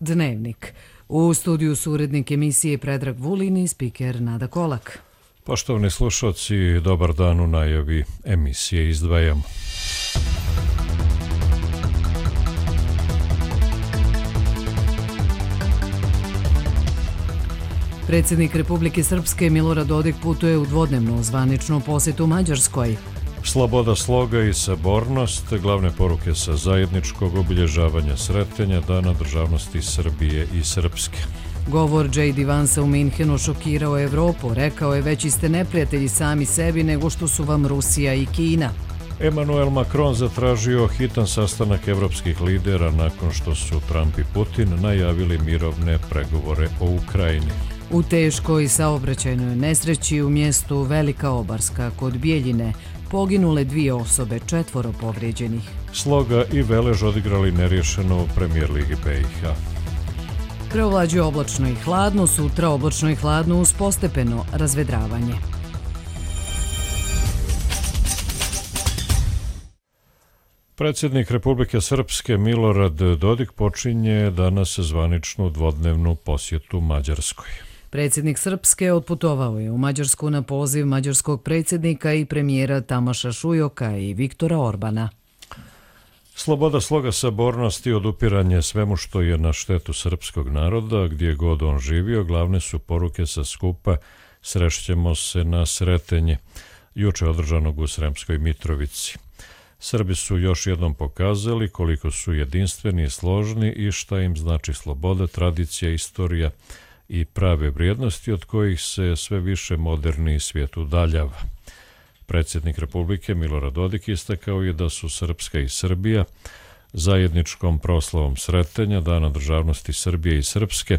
Dnevnik. U studiju su urednik emisije Predrag Vulin i spiker Nada Kolak. Poštovani slušalci, dobar dan. U najavi emisije izdvajamo. Predsjednik Republike Srpske Milorad Dodik putuje u dvodnevnu zvaničnu posjetu Mađarskoj. Sloboda sloga i sabornost, glavne poruke sa zajedničkog obilježavanja Sretenja Dana državnosti Srbije i Srpske. Govor J.D. Vansa u Minhenu šokirao Evropu. Rekao je: veći ste neprijatelji sami sebi nego što su vam Rusija i Kina. Emmanuel Macron zatražio hitan sastanak evropskih lidera nakon što su Trump i Putin najavili mirovne pregovore o Ukrajini. U teškoj saobraćajnoj nesreći u mjestu Velika Obarska kod Bijeljine poginule 2 osobe, 4 povrijeđenih. Sloga i Velež odigrali neriješeno u Premijer ligi BiH. Preovlađuje oblačno i hladno, sutra oblačno i hladno uz postepeno razvedravanje. Predsjednik Republike Srpske Milorad Dodik počinje danas zvaničnu dvodnevnu posjetu Mađarskoj. Predsjednik Srpske otputovao je u Mađarsku na poziv mađarskog predsjednika i premijera Tamaša Šujoka i Viktora Orbana. Sloboda sloga, sabornost i odupiranje svemu što je na štetu srpskog naroda, gdje god on živio, glavne su poruke sa skupa Srešćemo se na Sretenje, juče održanog u Sremskoj Mitrovici. Srbi su još jednom pokazali koliko su jedinstveni i složni i šta im znači sloboda, tradicija, istorija i prave vrijednosti od kojih se sve više moderni svijet udaljava. Predsjednik Republike Milorad Dodik istakao je da su Srpska i Srbija zajedničkom proslavom Sretenja Dana državnosti Srbije i Srpske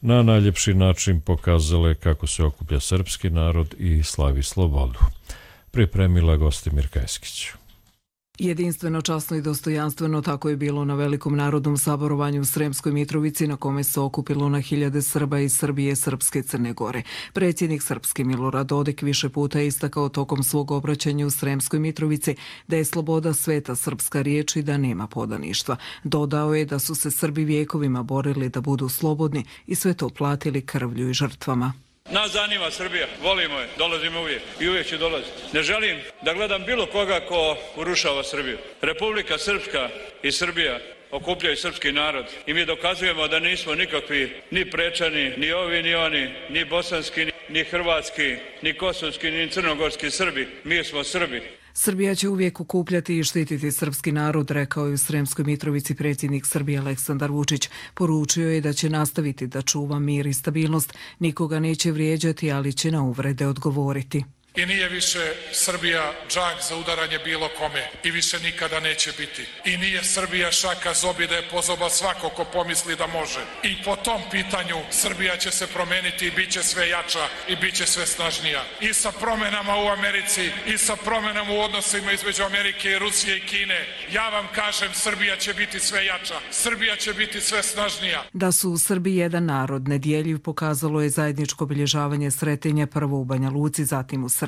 na najljepši način pokazale kako se okuplja srpski narod i slavi slobodu. Pripremila Gostimir Kajskić. Jedinstveno, časno i dostojanstveno, tako je bilo na velikom narodnom saborovanju u Sremskoj Mitrovici na kome se okupilo na hiljade Srba iz Srbije, Srpske i Crne Gore. Predsjednik Srpske Milorad Dodik više puta je istakao tokom svog obraćanja u Sremskoj Mitrovici da je sloboda sveta srpska riječ i da nema podaništva. Dodao je da su se Srbi vjekovima borili da budu slobodni i sve to platili krvlju i žrtvama. Nas zanima Srbija, volimo je, dolazimo uvijek i uvijek ću dolaziti. Ne želim da gledam bilo koga ko urušava Srbiju. Republika Srpska i Srbija okupljaju srpski narod i mi dokazujemo da nismo nikakvi ni prečani, ni ovi, ni oni, ni bosanski, ni hrvatski, ni kosovski, ni crnogorski Srbi. Mi smo Srbi. Srbija će uvijek okupljati i štititi srpski narod, rekao je u Sremskoj Mitrovici predsjednik Srbije Aleksandar Vučić. Poručio je da će nastaviti da čuva mir i stabilnost, nikoga neće vrijeđati, ali će na uvrede odgovoriti. I nije više Srbija džak za udaranje bilo kome i više nikada neće biti. I nije Srbija šaka zobi da je pozoba svako ko pomisli da može. I po tom pitanju Srbija će se promeniti i bit će sve jača i bit će sve snažnija. I sa promenama u Americi i sa promenama u odnosima između Amerike i Rusije i Kine. Ja vam kažem, Srbija će biti sve jača. Srbija će biti sve snažnija. Da su u Srbiji jedan narod nedjeljiv pokazalo je zajedničko obilježavanje Sretenja prvo u Banja Luci, zatim u Srbiji.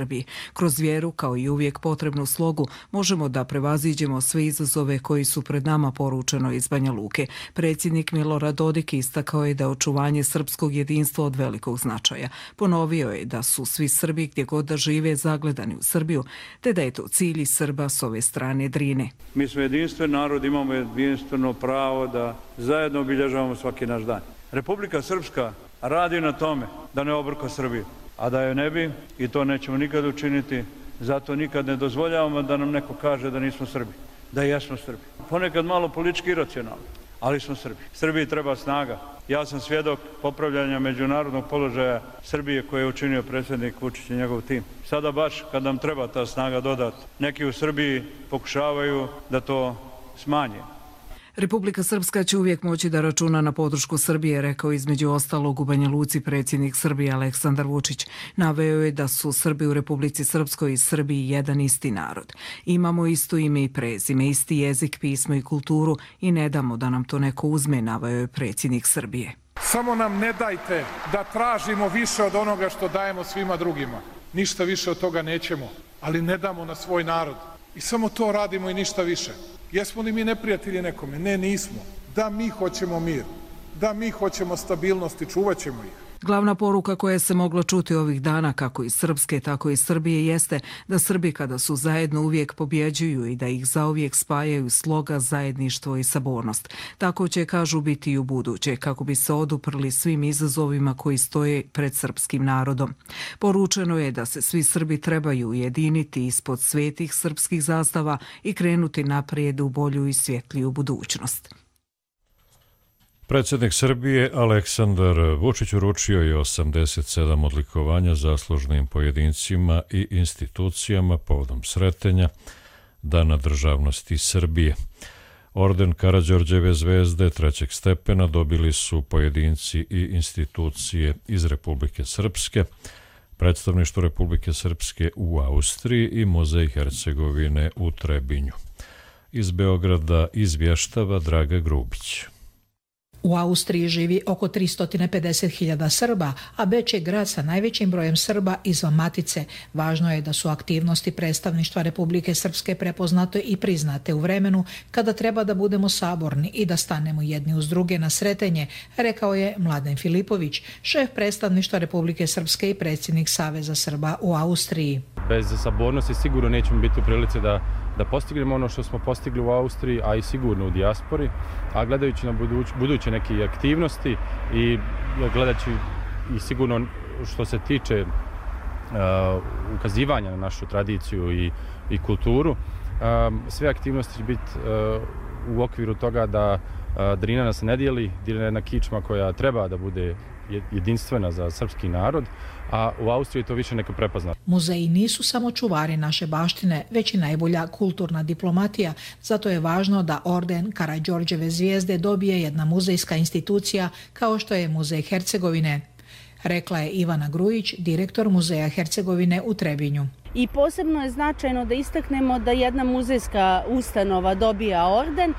Kroz vjeru, kao i uvijek potrebnu slogu, možemo da prevaziđemo sve izazove koji su pred nama, poručeno iz Banja Luke. Predsjednik Milorad Dodik istakao je da je očuvanje srpskog jedinstva od velikog značaja. Ponovio je da su svi Srbi gdje god da žive zagledani u Srbiju, te da je to cilj i Srba s ove strane Drine. Mi smo jedinstven narod, imamo jedinstveno pravo da zajedno obilježavamo svaki naš dan. Republika Srpska radi na tome da ne obrka Srbiju. A da je ne bi, i to nećemo nikad učiniti, zato nikad ne dozvoljavamo da nam neko kaže da nismo Srbi, da jesmo Srbi. Ponekad malo politički iracionalno, ali smo Srbi. Srbiji treba snaga. Ja sam svjedok popravljanja međunarodnog položaja Srbije koje je učinio predsjednik Vučić i njegov tim. Sada baš kad nam treba ta snaga dodati, neki u Srbiji pokušavaju da to smanje. Republika Srpska će uvijek moći da računa na podršku Srbije, rekao između ostalog u Banja Luci predsjednik Srbije Aleksandar Vučić. Naveo je da su Srbi u Republici Srpskoj i Srbiji jedan isti narod. Imamo isto ime i prezime, isti jezik, pismo i kulturu i ne damo da nam to neko uzme, naveo je predsjednik Srbije. Samo nam ne dajte da tražimo više od onoga što dajemo svima drugima. Ništa više od toga nećemo, ali ne damo na svoj narod. I samo to radimo i ništa više. Jesmo li mi neprijatelji nekome? Ne, nismo. Da, mi hoćemo mir. Da, mi hoćemo stabilnost i čuvat ćemo ih. Glavna poruka koja se mogla čuti ovih dana, kako iz Srpske, tako i Srbije, jeste da Srbi kada su zajedno uvijek pobjeđuju i da ih zauvijek spajaju sloga, zajedništvo i sabornost. Tako će, kažu, biti i u buduće, kako bi se oduprli svim izazovima koji stoje pred srpskim narodom. Poručeno je da se svi Srbi trebaju ujediniti ispod svetih srpskih zastava i krenuti naprijed u bolju i svjetliju budućnost. Predsjednik Srbije Aleksandar Vučić uručio je 87 odlikovanja zaslužnim pojedincima i institucijama povodom sretenja Dana državnosti Srbije. Orden Karađorđeve zvezde trećeg stepena dobili su pojedinci i institucije iz Republike Srpske, Predstavništvo Republike Srpske u Austriji i Muzej Hercegovine u Trebinju. Iz Beograda izvještava Draga Grubić. U Austriji živi oko 350.000 Srba, a Beč je grad sa najvećim brojem Srba izvan matice. Važno je da su aktivnosti predstavništva Republike Srpske prepoznate i priznate u vremenu kada treba da budemo saborni i da stanemo jedni uz druge na sretenje, rekao je Mladen Filipović, šef predstavništva Republike Srpske i predsjednik Saveza Srba u Austriji. Bez sabornosti sigurno nećemo biti u prilici da postignemo ono što smo postigli u Austriji, a i sigurno u dijaspori, a gledajući na buduće neke aktivnosti i gledajući i sigurno što se tiče ukazivanja na našu tradiciju i kulturu, sve aktivnosti će biti u okviru toga da Drina nas ne dijeli, Drina je jedna kičma koja treba da bude jedinstvena za srpski narod, a u Austriji to više neko prepozna. Muzeji nisu samo čuvari naše baštine, već i najbolja kulturna diplomatija, zato je važno da orden Karađorđeve zvijezde dobije jedna muzejska institucija kao što je Muzej Hercegovine, rekla je Ivana Grujić, direktor Muzeja Hercegovine u Trebinju. I posebno je značajno da istaknemo da jedna muzejska ustanova dobija orden,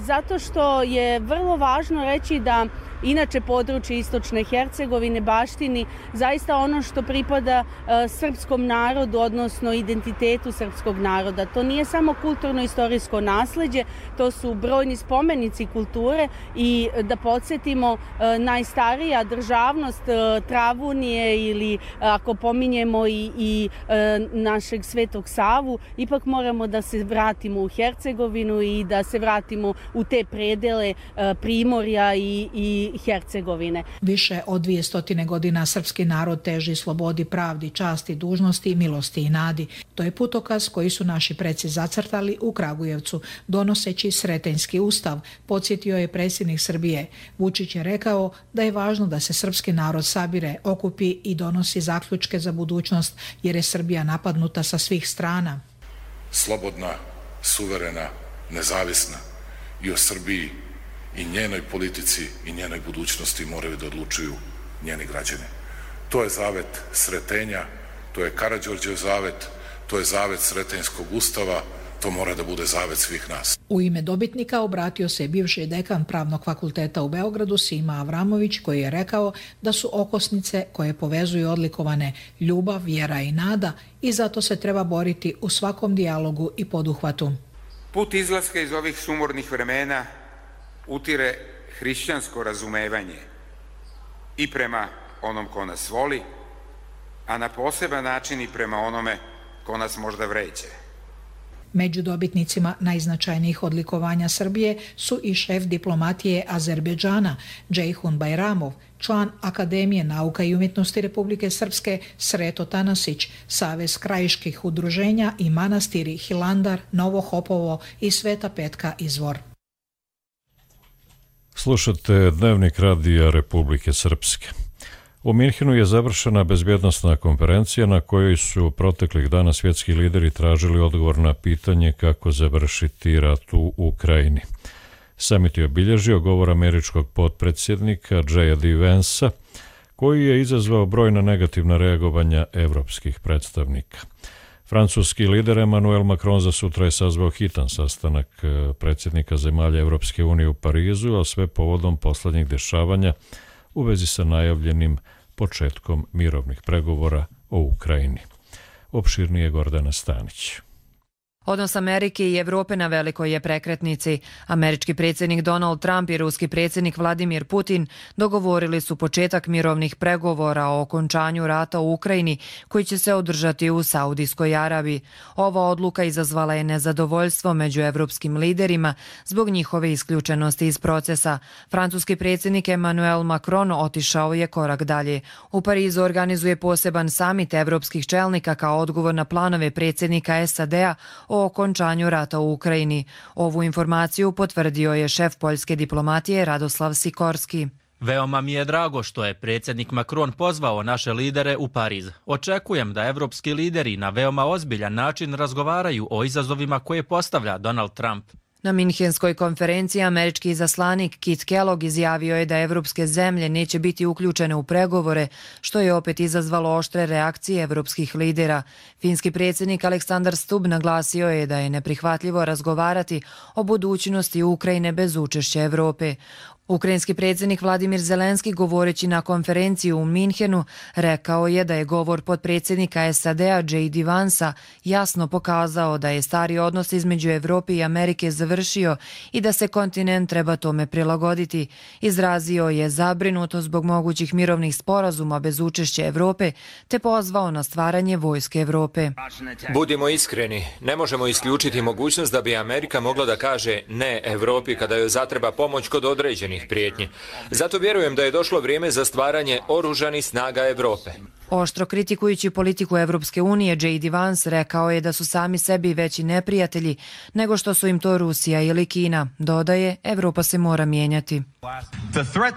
zato što je vrlo važno reći da inače područje istočne Hercegovine baštini zaista ono što pripada srpskom narodu, odnosno identitetu srpskog naroda. To nije samo kulturno-istorijsko nasleđe, to su brojni spomenici kulture i da podsjetimo, najstarija državnost Travunije ili ako pominjemo i našeg Svetog Savu, ipak moramo da se vratimo u Hercegovinu i da se vratimo u te predele Primorja i Hercegovine. Više od 200 godina srpski narod teži slobodi, pravdi, časti, dužnosti, milosti i nadi. To je putokaz koji su naši preci zacrtali u Kragujevcu, donoseći Sretenjski ustav, podsjetio je predsjednik Srbije. Vučić je rekao da je važno da se srpski narod sabire, okupi i donosi zaključke za budućnost, jer je Srbija napadnuta sa svih strana. Slobodna, suverena, nezavisna i o Srbiji i njenoj politici i njenoj budućnosti moraju da odlučuju njeni građani. To je zavet Sretenja, to je Karađorđev zavet, to je zavet Sretenjskog ustava, to mora da bude zavet svih nas. U ime dobitnika obratio se bivši dekan Pravnog fakulteta u Beogradu Sima Avramović, koji je rekao da su okosnice koje povezuju odlikovane ljubav, vjera i nada i zato se treba boriti u svakom dijalogu i poduhvatu. Put izlaska iz ovih sumornih vremena utire hrišćansko razumevanje i prema onom ko nas voli, a na poseban način i prema onome ko nas možda vređe. Među dobitnicima najznačajnijih odlikovanja Srbije su i šef diplomatije Azerbejdžana Džejhun Bajramov, član Akademije nauka i umjetnosti Republike Srpske Sreto Tanasić, Savez krajiških udruženja i manastiri Hilandar, Novo Hopovo i Sveta Petka Izvor. Slušate Dnevnik radija Republike Srpske. U Minhenu je završena bezbjednosna konferencija na kojoj su proteklih dana svjetski lideri tražili odgovor na pitanje kako završiti rat u Ukrajini. Samit je obilježio govor američkog potpredsjednika J.D. Vansa, koji je izazvao brojna negativna reagovanja evropskih predstavnika. Francuski lider Emmanuel Macron za sutra je sazvao hitan sastanak predsjednika zemalja Evropske unije u Parizu, a sve povodom poslednjih dešavanja u vezi sa najavljenim početkom mirovnih pregovora o Ukrajini. Opširnije Gordana Stanić. Odnos Amerike i Evrope na velikoj je prekretnici. Američki predsjednik Donald Trump i ruski predsjednik Vladimir Putin dogovorili su početak mirovnih pregovora o okončanju rata u Ukrajini koji će se održati u Saudijskoj Arabiji. Ova odluka izazvala je nezadovoljstvo među evropskim liderima zbog njihove isključenosti iz procesa. Francuski predsjednik Emmanuel Macron otišao je korak dalje. U Parizu organizuje poseban samit evropskih čelnika kao odgovor na planove predsjednika SAD-a o okončanju rata u Ukrajini. Ovu informaciju potvrdio je šef poljske diplomatije Radoslav Sikorski. Veoma mi je drago što je predsjednik Macron pozvao naše lidere u Pariz. Očekujem da evropski lideri na veoma ozbiljan način razgovaraju o izazovima koje postavlja Donald Trump. Na Minhenskoj konferenciji američki izaslanik Kit Kellogg izjavio je da evropske zemlje neće biti uključene u pregovore, što je opet izazvalo oštre reakcije evropskih lidera. Finski predsjednik Aleksandar Stubb naglasio je da je neprihvatljivo razgovarati o budućnosti Ukrajine bez učešća Evrope. Ukrajinski predsjednik Vladimir Zelenski, govoreći na konferenciji u Minhenu, rekao je da je govor potpredsjednika SAD-a J.D. Vansa jasno pokazao da je stari odnos između Evrope i Amerike završio i da se kontinent treba tome prilagoditi. Izrazio je zabrinutost zbog mogućih mirovnih sporazuma bez učešća Evrope te pozvao na stvaranje vojske Evrope. Budimo iskreni, ne možemo isključiti mogućnost da bi Amerika mogla da kaže ne Evropi kada joj zatreba pomoć kod određenih prijetnji. Zato vjerujem da je došlo vrijeme za stvaranje oružanih snaga Evrope. Oštro kritikujući politiku Evropske unije, J.D. Vance rekao je da su sami sebi veći neprijatelji nego što su im to Rusija ili Kina. Dodaje, Evropa se mora mijenjati.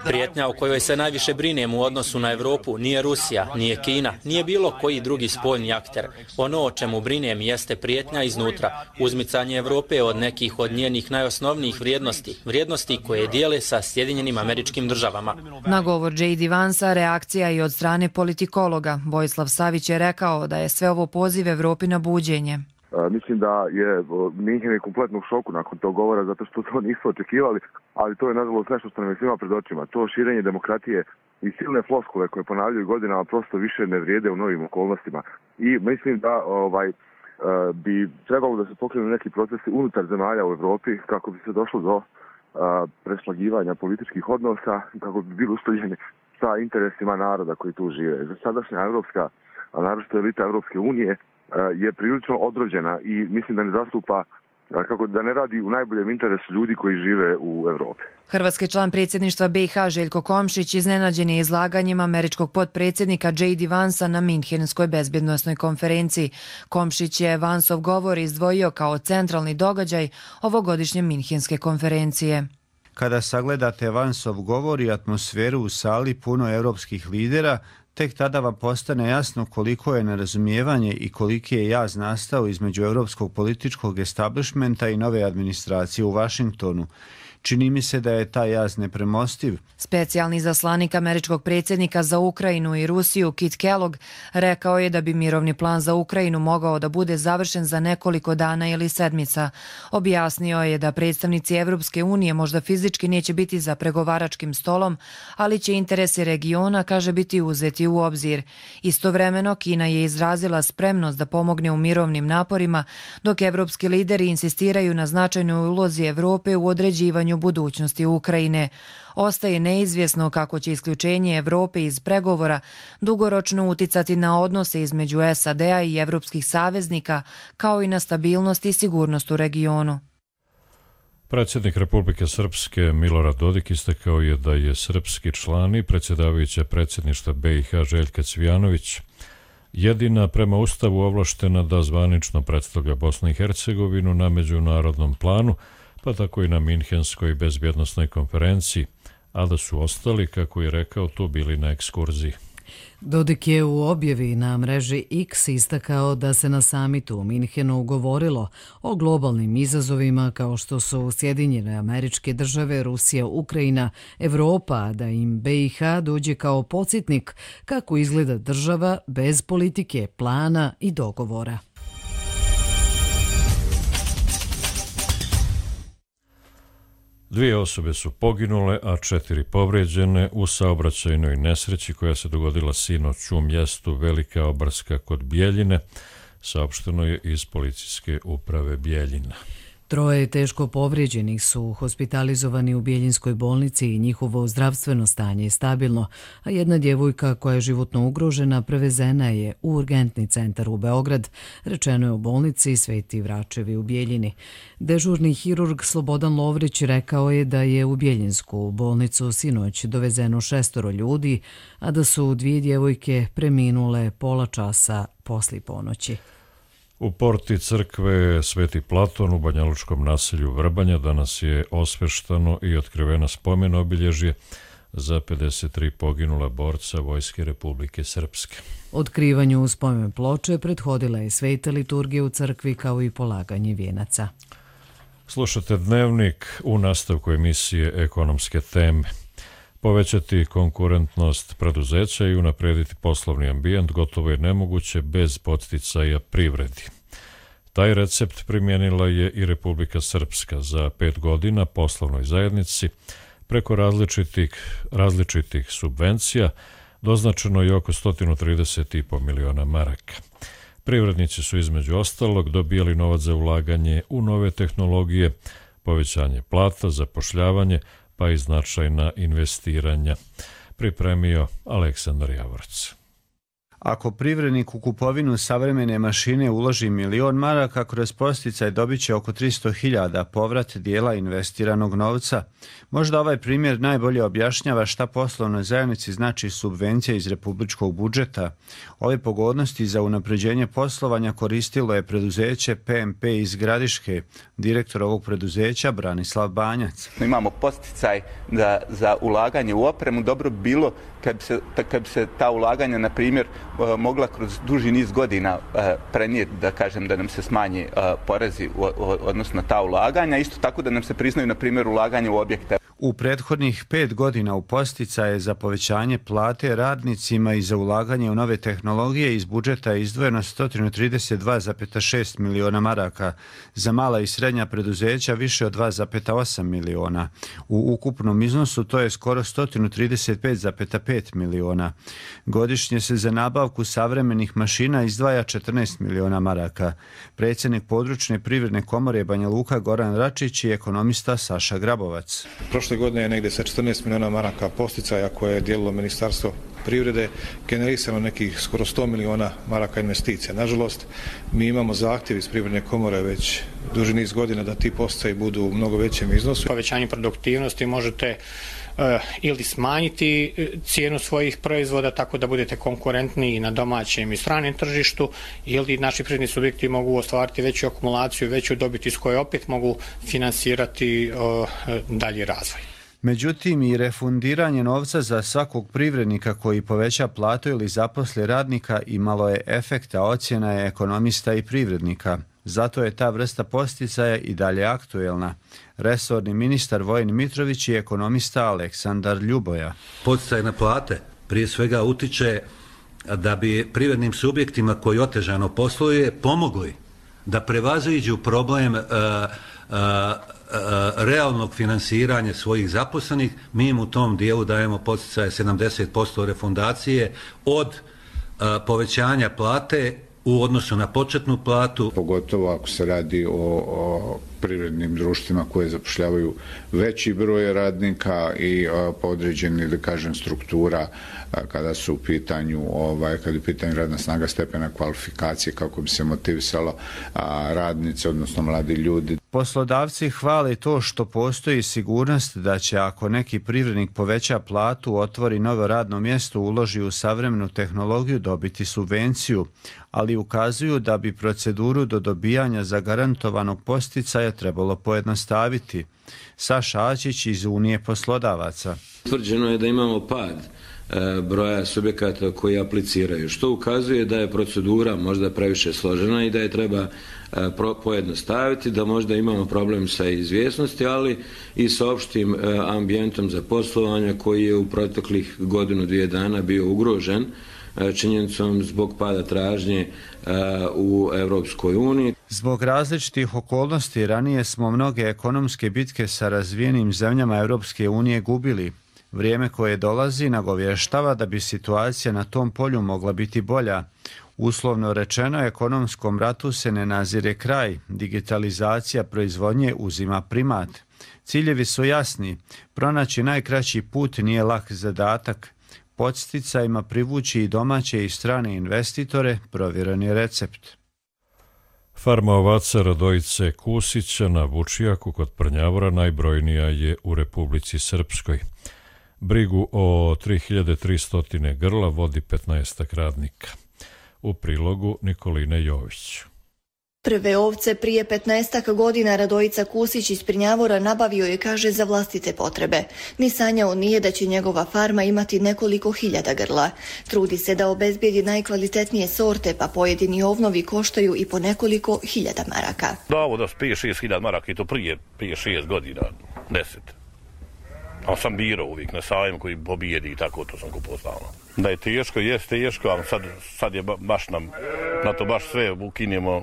Prijetnja o kojoj se najviše brinem u odnosu na Evropu nije Rusija, nije Kina, nije bilo koji drugi spoljni akter. Ono o čemu brinem jeste prijetnja iznutra, uzmicanje Evrope od nekih od njenih najosnovnijih vrijednosti koje dijele sa Sjedinjenim Američkim Državama. Na govor J.D. Vansa reakcija i od strane politikologa. Vojislav Savić je rekao da je sve ovo poziv Evropi na buđenje. Mislim da je Minhen je kompletno u šoku nakon tog govora zato što to nisu očekivali, ali to je nažalost nešto što nam je svima pred očima. To širenje demokratije i silne floskule koje ponavljaju godinama prosto više ne vrijede u novim okolnostima. I mislim da bi trebalo da se pokrenu neki procesi unutar zemalja u Evropi kako bi se došlo do preslagivanja političkih odnosa, kako bi bili usklađeni sa interesima naroda koji tu žive. Sadašnja evropska, a naročito elita Evropske unije, je prilično odrođena i mislim da ne zastupa, kako da ne radi u najboljem interesu ljudi koji žive u Evropi. Hrvatski član predsjedništva BiH Željko Komšić iznenađen je izlaganjem američkog potpredsjednika J.D. Vansa na Minhenskoj bezbjednosnoj konferenciji. Komšić je Vansov govor izdvojio kao centralni događaj ovogodišnje Minhenske konferencije. Kada sagledate Vansov govor i atmosferu u sali puno europskih lidera, tek tada vam postane jasno koliko je nerazumijevanje i koliki je jaz nastao između europskog političkog establishmenta i nove administracije u Vašingtonu. Čini mi se da je taj jaz nepremostiv. Specijalni izaslanik američkog predsjednika za Ukrajinu i Rusiju Kit Kellogg rekao je da bi mirovni plan za Ukrajinu mogao da bude završen za nekoliko dana ili sedmica. Objasnio je da predstavnici Evropske unije možda fizički neće biti za pregovaračkim stolom, ali će interesi regiona, kaže, biti uzeti u obzir. Istovremeno, Kina je izrazila spremnost da pomogne u mirovnim naporima, dok evropski lideri insistiraju na značajnoj ulozi Evrope u određivanju budućnosti Ukrajine. Ostaje neizvjesno kako će isključenje Evrope iz pregovora dugoročno uticati na odnose između SAD-a i evropskih saveznika, kao i na stabilnost i sigurnost u regionu. Predsjednik Republike Srpske Milorad Dodik istakao je da je srpski član i predsjedavajuća predsjedništva BiH Željka Cvijanović jedina prema Ustavu ovlaštena da zvanično predstavlja Bosnu i Hercegovinu na međunarodnom planu, pa tako i na Minhenskoj bezbjednosnoj konferenciji, a da su ostali, kako je rekao, tu bili na ekskurziji. Dodik je u objavi na mreži X istakao da se na samitu u Minhenu govorilo o globalnim izazovima kao što su Sjedinjene Američke Države, Rusija, Ukrajina, Evropa, da im BiH dođe kao podsjetnik kako izgleda država bez politike, plana i dogovora. Dvije osobe su poginule, a 4 povrijeđene u saobraćajnoj nesreći koja se dogodila sinoć u mjestu Velika Obarska kod Bjeljine. saopšteno je iz policijske uprave Bijeljina. 3 teško povrijeđenih su hospitalizovani u Bijeljinskoj bolnici i njihovo zdravstveno stanje je stabilno, a jedna djevojka koja je životno ugrožena prevezena je u urgentni centar u Beograd, rečeno je u bolnici Sveti Vračevi u Bijeljini. Dežurni hirurg Slobodan Lovrić rekao je da je u Bijeljinsku bolnicu sinoć dovezeno 6 ljudi, a da su 2 djevojke preminule pola časa poslije ponoći. U porti crkve Sveti Platon u banjalučkom naselju Vrbanja danas je osveštano i otkriveno spomen obilježje za 53 poginula borca Vojske Republike Srpske. Otkrivanju spomen ploče prethodila je sveta liturgija u crkvi kao i polaganje vijenaca. Slušate Dnevnik, u nastavku emisije Ekonomske teme. Povećati konkurentnost preduzeća i unaprediti poslovni ambijent gotovo je nemoguće bez podsticaja privredi. Taj recept primijenila je i Republika Srpska za 5 godina poslovnoj zajednici. Preko različitih subvencija doznačeno je oko 130,5 miliona maraka. Privrednici su između ostalog dobijali novac za ulaganje u nove tehnologije, povećanje plata, zapošljavanje, pa i značajna investiranja. Pripremio Aleksandar Javorac. Ako privrednik u kupovinu savremene mašine uloži 1.000.000 maraka, kroz podsticaj dobit će oko 300.000 povrat dijela investiranog novca. Možda ovaj primjer najbolje objašnjava šta poslovnoj zajednici znači subvencija iz republičkog budžeta. Ove pogodnosti za unapređenje poslovanja koristilo je preduzeće PMP iz Gradiške. Direktor ovog preduzeća Branislav Banjac. Imamo podsticaj za ulaganje u opremu. Dobro bi bilo kad bi se ta ulaganja, na primjer, mogla kroz duži niz godina prenijeti, da kažem, da nam se smanji porezi odnosno ta ulaganja. Isto tako da nam se priznaju, na primjer, ulaganje u objekte. U prethodnih 5 godina u podsticaje za povećanje plate radnicima i za ulaganje u nove tehnologije iz budžeta je izdvojeno 132,6 miliona maraka, za mala i srednja preduzeća više od 2,8 miliona. U ukupnom iznosu to je skoro 135,5 miliona. Godišnje se za nabavku savremenih mašina izdvaja 14 miliona maraka. Predsjednik područne privredne komore Banja Luka Goran Račić i ekonomista Saša Grabovac. Prošle godine je negdje sa 14 miliona maraka posticaja koje je dijelilo Ministarstvo privrede generisano nekih skoro 100 miliona maraka investicija. Nažalost, mi imamo zahtjev iz privredne komore već duži niz godina da ti posticaji budu u mnogo većem iznosu. Povećanje produktivnosti možete ili smanjiti cijenu svojih proizvoda tako da budete konkurentni i na domaćem i stranom tržištu, ili naši privredni subjekti mogu ostvariti veću akumulaciju, veću dobit iz koje opet mogu finansirati dalji razvoj. Međutim, i refundiranje novca za svakog privrednika koji poveća platu ili zaposli radnika imalo je efekta, ocjena je ekonomista i privrednika. Zato je ta vrsta podsticaja i dalje aktuelna. Resorni ministar Vojin Mitrović i ekonomista Aleksandar Ljuboja. Podsticaj na plate prije svega utiče da bi privrednim subjektima koji otežano posluje pomogli da prevaziđu problem realnog finansiranja svojih zaposlenih. Mi im u tom dijelu dajemo podsticaje 70% refundacije od povećanja plate u odnosu na početnu platu. Pogotovo ako se radi o privrednim društvima koje zapošljavaju veći broj radnika i podređeni, da kažem, struktura kada su u pitanju, kada je u pitanju radna snaga stepena kvalifikacije, kako bi se motivisalo radnice, odnosno mladi ljudi. Poslodavci hvale to što postoji sigurnost da će, ako neki privrednik poveća platu, otvori novo radno mjesto, uloži u savremenu tehnologiju, dobiti subvenciju, ali ukazuju da bi proceduru do dobijanja zagarantovanog podsticaja trebalo pojednostaviti. Saša Ačić iz Unije poslodavaca. Utvrđeno je da imamo pad broja subjekata koji apliciraju, što ukazuje da je procedura možda previše složena i da je treba pojednostaviti, da možda imamo problem sa izvjesnosti, ali i sa opštim ambijentom za poslovanje koji je u proteklih 1-2 dana bio ugrožen činjenicom zbog pada tražnje u Europskoj uniji. Zbog različitih okolnosti ranije smo mnoge ekonomske bitke sa razvijenim zemljama Europske unije gubili. Vrijeme koje dolazi nagovještava da bi situacija na tom polju mogla biti bolja. Uslovno rečeno, ekonomskom ratu se ne nazire kraj, digitalizacija proizvodnje uzima primat. Ciljevi su jasni, pronaći najkraći put nije lak zadatak. Podsticajima privući i domaće i strane investitore, provjeren je recept. Farma ovaca Radojice Kusića na Vučijaku kod Prnjavora najbrojnija je u Republici Srpskoj. Brigu o 3300 grla vodi 15 radnika. U prilogu Nikoline Jović. Prve ovce prije 15 godina Radojica Kusić iz Prnjavora nabavio je, kaže, za vlastite potrebe. Ni sanjao nije da će njegova farma imati nekoliko hiljada grla. Trudi se da obezbijedi najkvalitetnije sorte, pa pojedini ovnovi koštaju i po nekoliko hiljada maraka. Da, ovo da spije 6.000 maraka i to prije 6 godina, 10. Ali sam birao uvijek na sajmu koji pobijedi i tako, to sam kupao stalno. Da je teško, jest teško, ali sad je baš na to baš sve ukinjemo.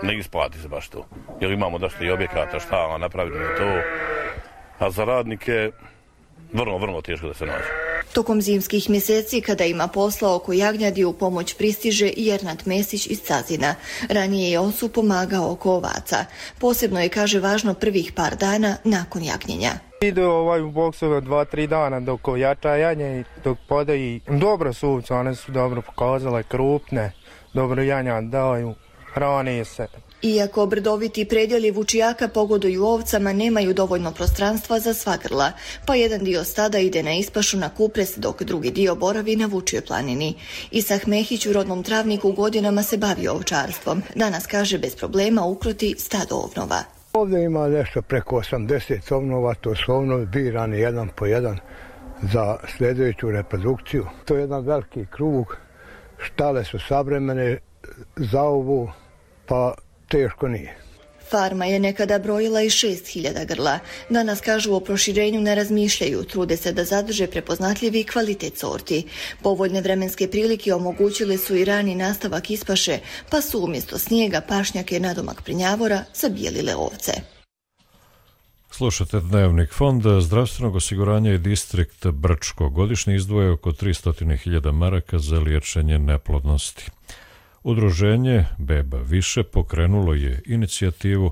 Ne isplati se baš to, jer imamo dosta i objekata, štala, napraviti na to, a za radnike vrlo teško da se nađe. Tokom zimskih mjeseci, kada ima posla oko jagnjadi, u pomoć pristiže i Ernad Mesić iz Cazina. Ranije je Osu pomagao oko ovaca. Posebno je, kaže, važno prvih par dana nakon jagnjenja. Ide u boksove 2-3 dana dok jača jagnje, dok podaji. Dobro su ovce, one su dobro pokazale, krupne, dobro janja daju. Hrani se. Iako brdoviti predjeli Vučijaka pogoduju ovcama, nemaju dovoljno prostranstva za sva grla, pa jedan dio stada ide na ispašu na Kupres, dok drugi dio boravi na Vučijoj planini. Isak Mehić u rodnom Travniku godinama se bavi ovčarstvom. Danas, kaže, bez problema ukroti stado ovnova. Ovdje ima nešto preko 80 ovnova, to su ovnovi birani jedan po jedan za sljedeću reprodukciju. To je jedan veliki krug, štale su savremene, za ovu pa teško nije. Farma je nekada brojila i 6.000 grla. Danas, kažu, o proširenju ne razmišljaju, trude se da zadrže prepoznatljivi kvalitet sorti. Povoljne vremenske prilike omogućile su i rani nastavak ispaše, pa su umjesto snijega pašnjake nadomak Prnjavora zabijelile ovce. Slušate Dnevnik. Fond zdravstvenog osiguranja i distrikt Brčko godišnje izdvoje oko 300.000 maraka za liječenje neplodnosti. Udruženje Beba više pokrenulo je inicijativu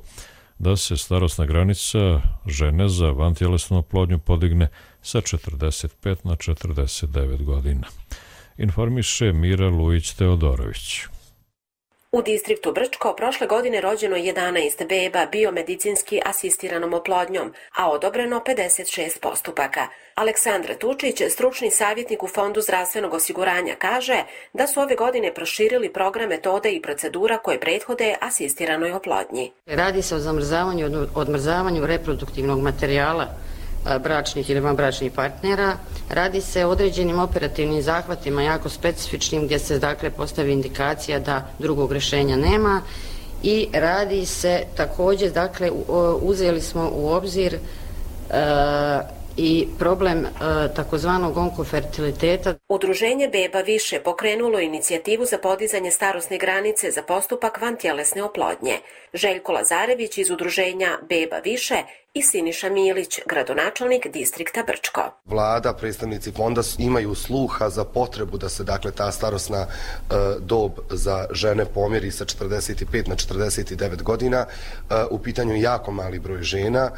da se starosna granica žene za vantjelesnu oplodnju podigne sa 45 na 49 godina. Informiše Mira Lujić-Teodorović. U distriktu Brčko prošle godine rođeno 11 beba biomedicinski asistiranom oplodnjom, a odobreno 56 postupaka. Aleksandra Tučić, stručni savjetnik u Fondu zdravstvenog osiguranja, kaže da su ove godine proširili program metode i procedura koje prethode asistiranoj oplodnji. Radi se o zamrzavanju i odmrzavanju reproduktivnog materijala bračnih ili vanbračnih partnera. Radi se o određenim operativnim zahvatima, jako specifičnim, gdje se dakle postavi indikacija da drugog rješenja nema, i radi se također, dakle uzeli smo u obzir i problem takozvanog onkofertiliteta. Udruženje Beba više pokrenulo inicijativu za podizanje starosne granice za postupak vantjelesne oplodnje. Željko Lazarević iz udruženja Beba više i Siniša Milić, gradonačelnik distrikta Brčko. Vlada, predstavnici fonda imaju sluha za potrebu da se dakle ta starosna dob za žene pomjeri sa 45 na 49 godina. U pitanju je jako mali broj žena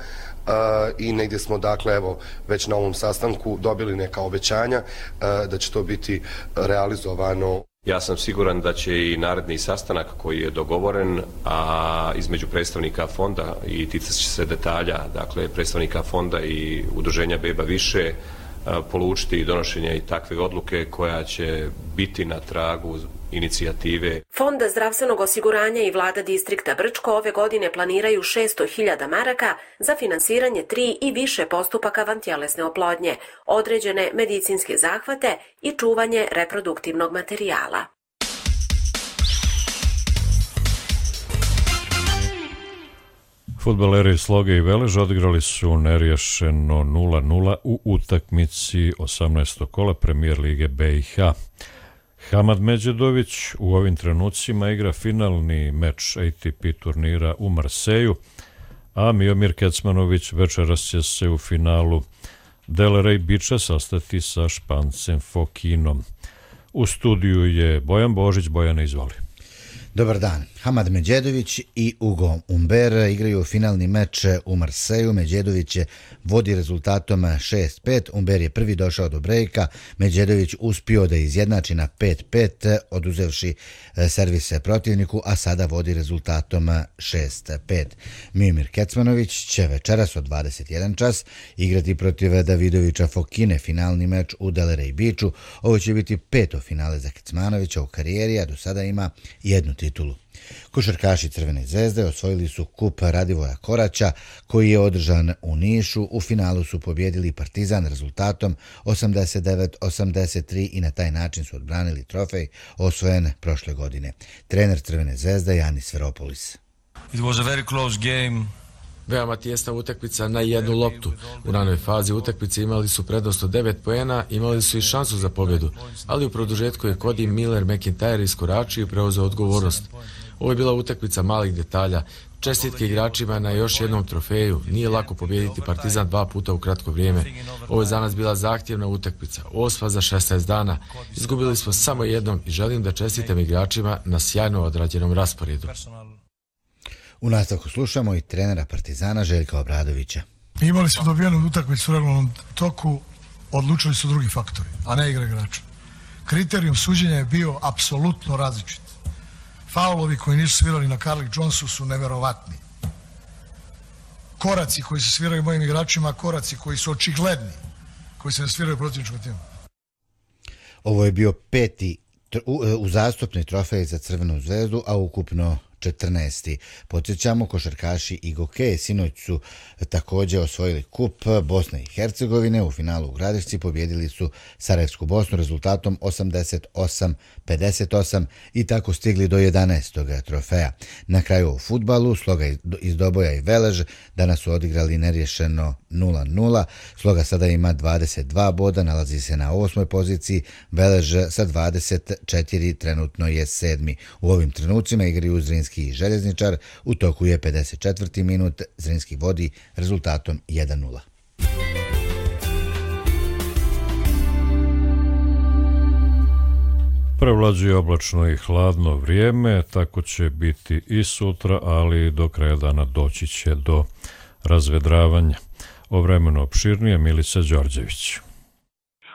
i negdje smo dakle evo već na ovom sastanku dobili neka obećanja da će to biti realizovano. Ja sam siguran da će i naredni sastanak koji je dogovoren, a između predstavnika fonda i ticat će se detalja, dakle predstavnika fonda i udruženja Beba više, polučiti donošenje i takve odluke koja će biti na tragu inicijative. Fond zdravstvenog osiguranja i vlada distrikta Brčko ove godine planiraju 600.000 maraka za finansiranje 3 i više postupaka vantjelesne oplodnje, određene medicinske zahvate i čuvanje reproduktivnog materijala. Fudbaleri Sloge i Velež odigrali su neriješeno 0-0 u utakmici 18. kola Premijer Lige BiH. Hamad Međedović u ovim trenucima igra finalni meč ATP turnira u Marseju, a Miomir Kecmanović večeras će se u finalu Delray Beacha sastati sa Špancem Fokinom. U studiju je Bojan Božić. Bojane, izvoli. Dobar dan. Hamad Medjedović i Ugo Umber igraju finalni meč u Marseju. Medjedović vodi rezultatom 6-5. Umber je prvi došao do brejka. Medjedović uspio da izjednači na 5-5, oduzevši servise protivniku, a sada vodi rezultatom 6-5. Miomir Kecmanović će večeras od 21 čas igrati protiv Davidovića Fokine, finalni meč u Delray Beachu. Ovo će biti 5. finale za Kecmanovića u karijeri, a do sada ima jednu titulu. Košarkaši Crvene zvezde osvojili su kup Radivoja Koraća, koji je održan u Nišu. U finalu su pobjedili Partizan rezultatom 89-83 i na taj način su odbranili trofej osvojen prošle godine. Trener Crvene zvezde Janis Sferopolis. It was a very close game. Veoma tijesna utakmica na jednu loptu. U ranoj fazi utakmice imali su prednost od 9 poena, imali su i šansu za pobjedu, ali u produžetku je Cody Miller McIntyre iskoračio i preuzeo odgovornost. Ovo je bila utakmica malih detalja. Čestitke igračima na još jednom trofeju. Nije lako pobijediti Partizan 2 puta u kratko vrijeme. Ovo je za nas bila zahtjevna utakmica. 8 za 16 dana. Izgubili smo samo jednom i želim da čestitam igračima na sjajno odrađenom rasporedu. U nastavku slušamo i trenera Partizana Željka Obradovića. Imali smo dobijenu utakmicu u regularnom toku, odlučili su drugi faktori, a ne igra igrača. Kriterijum suđenja je bio apsolutno različit. Faulovi koji nisu svirali na Carlik Jonesu su neverovatni. Koraci koji se sviraju mojim igračima, koraci koji su očigledni, koji se ne sviraju protivničkom timu. Ovo je bio 5. uzastopni trofej za Crvenu zvezdu, a ukupno 14. Podsjećamo, košarkaši i Gokeje sinoć su također osvojili kup Bosne i Hercegovine. U finalu u Gradišci pobjedili su Sarajevsku Bosnu rezultatom 88-58 i tako stigli do 11. trofeja. Na kraju u fudbalu Sloga iz Doboja i Velež danas su odigrali nerješeno 0-0. Sloga sada ima 22 boda, nalazi se na 8. poziciji, Velež sa 24 trenutno je 7. U ovim trenucima igraju Zrinski i Željezničar. U toku je 54. minut, Zrinski vodi rezultatom 1-0. Prevlađuje oblačno i hladno vrijeme, tako će biti i sutra, ali do kraja dana doći će do razvedravanja. O vremenu opširnije Milica Đorđević.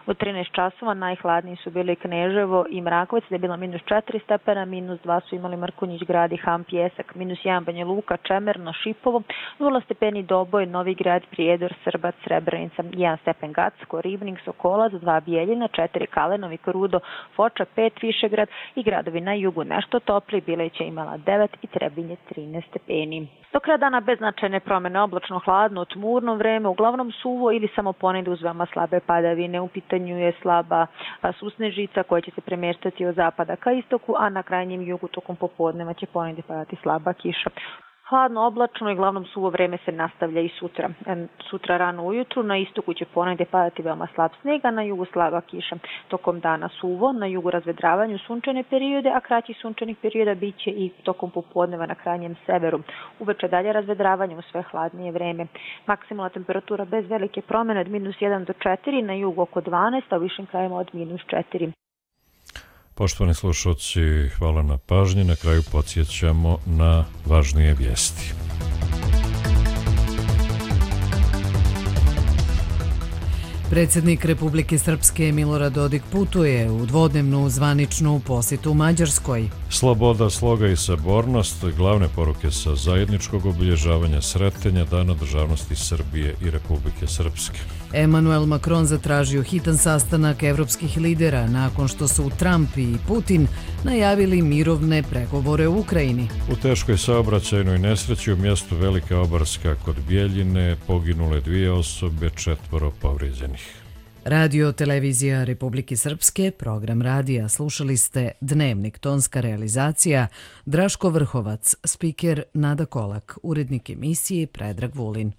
U 13 časova najhladniji su bili Kneževo i Mrakovac, gdje je bilo -4 stepena, -2 su imali Mrkonjić Grad i Ham Pjesak, -1 Banja Luka, Čemerno, Šipovo, 0 stepeni Doboj, Novi Grad, Prijedor, Srbac, Srebrenica, 1 stepen Gacko, Ribnik, Sokolac, 2 Bijeljina, 4 Kalenovi, Krudo, Foča, 5 Višegrad i gradovi na jugu nešto topli, Bileć je imala 9 i Trebinje 13 stepeni. Do kraja dana bez značajne promjene, oblačno, hladno, tmurno vreme, uglavnom suvo ili samo ponegdje uz veoma slabe padavine. U pitanju je slaba susnežica koja će se premještati od zapada ka istoku, a na krajnjem jugu tokom popodneva će ponegdje padati slaba kiša. Hladno, oblačno i glavnom suvo vreme se nastavlja i sutra. Sutra rano ujutru na istoku će ponegdje padati veoma slab sneg, a na jugu slaba kiša. Tokom dana suvo, na jugu razvedravanju sunčane periode, a kraći sunčanih perioda bit će i tokom popodneva na krajnjem severu. Uveče dalje razvedravanje u sve hladnije vreme. Maksimalna temperatura bez velike promjene od -1 do 4, na jugu oko 12, a u višim krajima od -4. Poštovani slušalci, hvala na pažnji. Na kraju podsjećamo na važnije vijesti. Predsjednik Republike Srpske Milorad Dodik putuje u dvodnevnu zvaničnu posjetu Mađarskoj. Sloboda, sloga i sabornost, glavne poruke sa zajedničkog obilježavanja Sretenja Dana državnosti Srbije i Republike Srpske. Emmanuel Macron zatražio hitan sastanak evropskih lidera nakon što su Trump i Putin najavili mirovne pregovore u Ukrajini. U teškoj saobraćajnoj nesreći u mjestu Velika Obarska kod Bijeljine poginule 2 osobe, 4 povrijeđenih. Radio Televizija Republike Srpske, program radija. Slušali ste Dnevnik, tonska realizacija Draško Vrhovac, spiker Nada Kolak, urednik emisije Predrag Vulin.